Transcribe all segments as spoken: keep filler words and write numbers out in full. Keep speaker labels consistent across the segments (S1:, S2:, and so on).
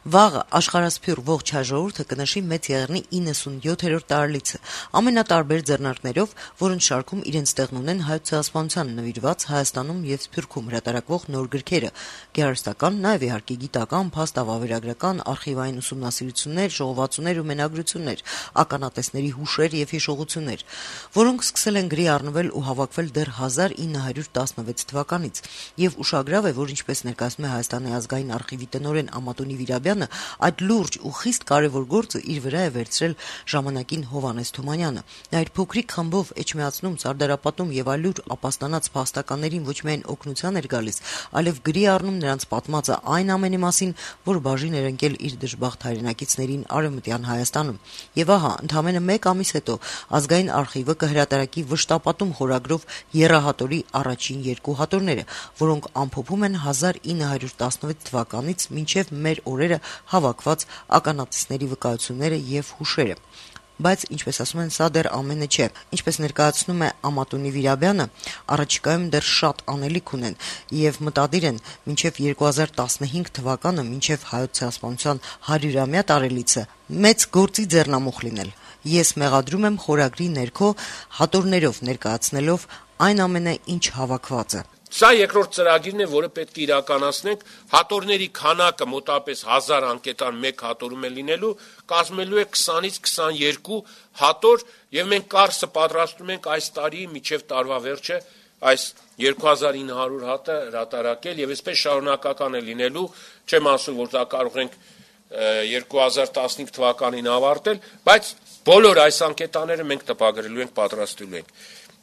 S1: Վաղը աշխարհասփյուռ ողջ հայ ժողովուրդը կնշի Մեծ Եղեռնի իննսունյոթերորդ տարելիցը, ամենատարբեր ձեռնարկներով, որոնց շարքում իրենց տեղն ունեն Հայոց ցեղասպանությանը նվիրված Հայաստանում եւ Սփյուռքում հրատարակվող նոր գրքերը, գեղարվեստական, նաեւ իհարկե գիտական, փաստավավերագրական, արխիվային ուսումնասիրություններ, ժողովածուներ ու մենագրություններ, ականատեսների հուշեր եւ հիշողություններ, որոնք սկսել են գրի առնվել ու հավաքվել դեռ հազար ինը հարյուր տասնվեց թվականից, եւ ուշագրավ է, որ ինչպես ներկայացնում է Հայաստանի ազգային արխիվի տնօրեն Ամատունի Վիրաբյանը, այդ լուրջ ու խիստ կարևոր գործը իր վրա է վերցրել ժամանակին Հովհաննես Թումանյանը։ Նա իր փոքրիկ խմբով էջմիածնում, Սարդարապատում եւ այլուր ապաստանած փաստականներին ոչ միայն օգնության էր գալիս, այլև գրի առնում նրանց պատմածը այն ամենի մասին, որ բաժին էր ընկել իր դժբախտ հայրենակիցներին Արևմտյան Հայաստանում։ Եվ ահա, ընդամենը մեկ ամիս հետո ազգային արխիվը կհրատարակի վշտապատում խորագրով եռահատորի առաջին երկու հատորները, որոնք ամփոփում են հազար ինը հարյուր տասնվեց թվականից մինչև մեր օրերը հավաքված ականատեսների վկայությունները եւ հուշերը։ Բայց, ինչպես ասում են, սա դեռ ամենը չէ։ Ինչպես ներկայացնում է Ամատունի Վիրաբյանը, առաջիկայում դեռ շատ անելիք ունեն եւ մտադիր են մինչեւ երկու հազար տասնհինգ թվականը, մինչեւ Հայոց ցեղասպանության հարյուրամյա տարելիցը մեծ գործի ձեռնամուխ լինել։ Ես մեղադրում եմ խորագրի ներքո հատորներով ներկայացնելով այն ամենը, ինչ հավաքված է։
S2: Սա երկրորդ ծրագիրն է, որը պետք է իրականացնենք, հատորների քանակը մոտավորապես հազար անկետան մեկ հատորում է լինելու, կազմելու է քսանից քսաներկու հատոր, եւ մենք կարծը պատրաստում ենք այս տարի մինչեւ տարվա վերջը այս երկու հազար ինը հարյուր հատը հրատարակել եւ այսպես շարունակական է լինելու, չեմ ասում, որ դա կարող ենք երկու հազար տասնհինգ թվականին ավարտել, բայց բոլոր այս անկետաները մենք տպագրելու ենք, պատրաստելու ենք։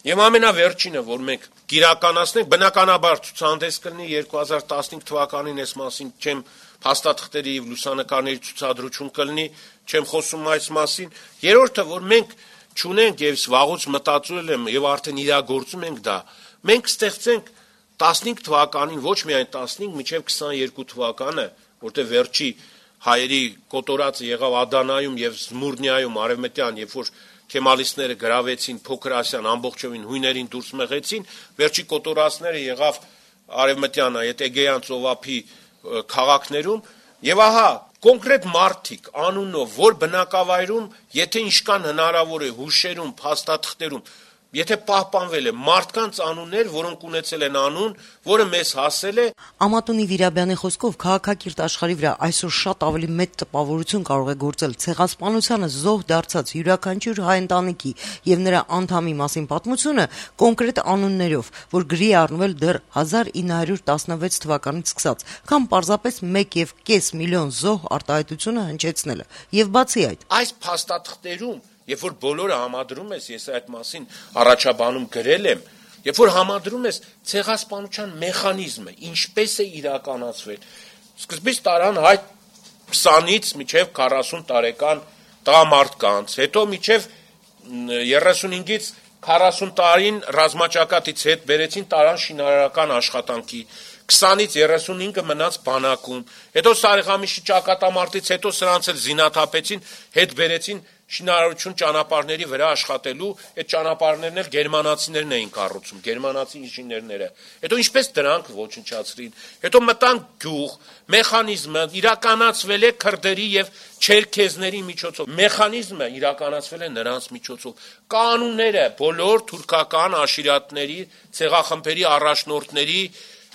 S2: Եվ ամենավերջինը, որ մենք կիրականացնենք, բնականաբար ցուցահանդես կլինի երկու հազար տասնհինգ թվականին, այս մասին չեմ փաստաթղթերի եւ լուսանկարների ցուցադրություն կլինի, չեմ խոսում այս մասին։ Երրորդը, որ մենք ճունենք եւ վաղուց մտածել եմ եւ արդեն իրագործում ենք դա, մենք ստեղծենք տասնհինգ թվականին, ոչ միայն տասնհինգ, մինչեւ քսաներկու թվականը, որտեղ վերջի հայերի կոտորածը եղավ Ադանայում եւ Զմուրնիայում արևմտյան, երբ որ Քեմալիստները գրավեցին Փոքր Ասիան, ամբողջովին հույներին դուրս մղեցին, վերջի կոտորածները եղավ արևմտյան, այդ Էգեյան ծովափի քաղաքներում, եւ ահա կոնկրետ մարդիկ անունով, որ բնակավայրում, եթե ինչքան հնարավոր է հուշերում, փաստաթղթերում, եթե պահպանվել է մարդկանց անուններ, որոնք ունեցել են անուն, որը մեզ հասել է։
S1: Ամատունի Վիրաբյանի խոսքով քաղաքակիրթ աշխարհի վրա այսօր շատ ավելի մեծ տպավորություն կարող է գործել ցեղասպանությանը զոհ դարձած յուրաքանչյուր հայ ընտանիքի եւ նրա անդամի մասին պատմությունը կոնկրետ անուններով, որ գրի առնվել դեռ հազար ինը հարյուր տասնվեց թվականից սկսած, կամ պարզապես մեկ եւ կես միլիոն զոհ արտահայտությունը հնչեցնելը։ Եվ բացի այդ,
S2: այս փաստաթղթերում, երբ որ բոլորը համադրում ես, ես այդ մասին առաջաբանում գրել եմ, երբ որ համադրում ես ցեղասպանության մեխանիզմը, ինչպես է իրականացվել, սկզբից տարան հայ քսանից մինչև քառասուն տարեկան տղամարդկանց, հետո մինչև երեսունհինգից քառասուն տարին ռազմաճակատից հետ բերեցին տարան շինարարական աշխատանքի, քսանից երեսունհինգը մնաց բանակում, հետո Սարիղամիշի ճակատամարտից հետո սրանց էլ զինաթափեցին, հետ բերեցին շինարարություն ճանապարհների վրա աշխատելու, այդ ճանապարհներն էլ գերմանացիներն էին կառուցում, գերմանացի ինժեներները։ Հետո ինչպես դրանք ոչնչացրին, հետո մտան գյուղ, մեխանիզմը իրականացվել է քրդերի եւ չերքեզների միջոցով, մեխանիզմը իրականացվել է նրանց միջոցով, կանոնները բոլոր թուրքական աշիրատների, ցեղախմբերի առաջնորդների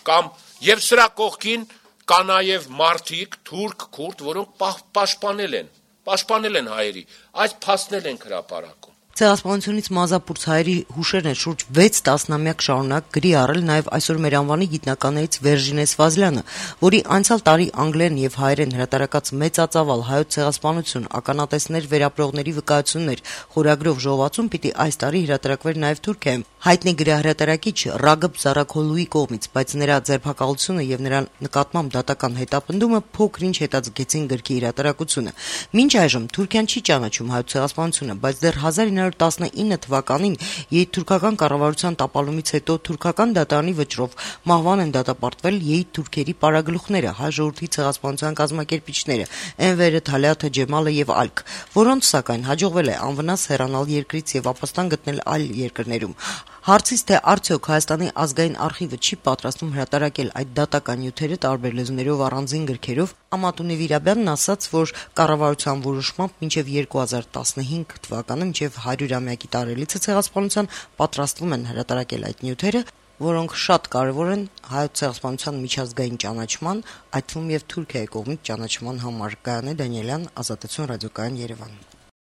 S2: կամ եւ սրա կողքին կա նաեւ մարդիկ, թուրք, քուրդ, որոնք պաշտպանել են Պաշտպանել են հայերի, այս փաստնել են հրապարակում։
S1: Ցեղասպանությունից մազապուրց հայերի հուշերն են շուրջ վեց տասնամյակ շարունակ գրի առել նաև այսօր մեր անվանի գիտնականներից Վերժինե Սվազլյանը, որի անցյալ տարի անգլերեն եւ հայերեն հրատարակած մեծածավալ հայոց ցեղասպանություն, ականատեսներ վերապրողների վկայություններ խորագրով ժողովածուն պիտի այս տարի հրատարակվեր նաև Թուրքիայում։ Հայտնի գրահրատարակիչ Ռագըբ Զարաքոլուի կողմից, բայց նրա ձերբակալությունը եւ նրա նկատմամբ դատական հետապնդումը փոքր-ինչ հետաձգեցին գրքի հրատարակությունը։ Մինչ այժմ Թուրքիան չի ճանաչում հայոց ցեղասպանությունը, բայց դեռ հազար ինը հարյուր տասնինը թվականին եթուրքական կառավարության տապալումից հետո թուրքական դատարանի վճռով մահվան են դատապարտվել եթուրքերի պարագլուխները, հայ ժողովրդի ցեղասպանության կազմակերպիչները, Էնվերը, Թալյաթը, Ջեմալը եւ այլք, որոնց սակայն հաջողվել է անվնաս հեռանալ երկրից եւ ապաստան գտնել այլ երկրներում։ Հարցից, թե արդյոք Հայաստանի ազգային արխիվը չի պատրաստվում հրատարակել այդ դատական նյութերը տարբեր լեզուներով առանձին գրքերով, Ամատունի Վիրաբյանն ասաց, որ կառավարության որոշմամբ մինչև երկու հազար տասնհինգ թվականը, մինչև հարյուրամյակի տարելիցը ցեղասպանության, պատրաստվում են հրատարակել այդ նյութերը, որոնք շատ կարևոր են հայոց ցեղասպանության միջազգային ճանաչման, այդ թվում եւ Թուրքիայի կողմից ճանաչման համար։ Գայանե Դանիելյան, Ազատություն ռադիոկայան, Երևան։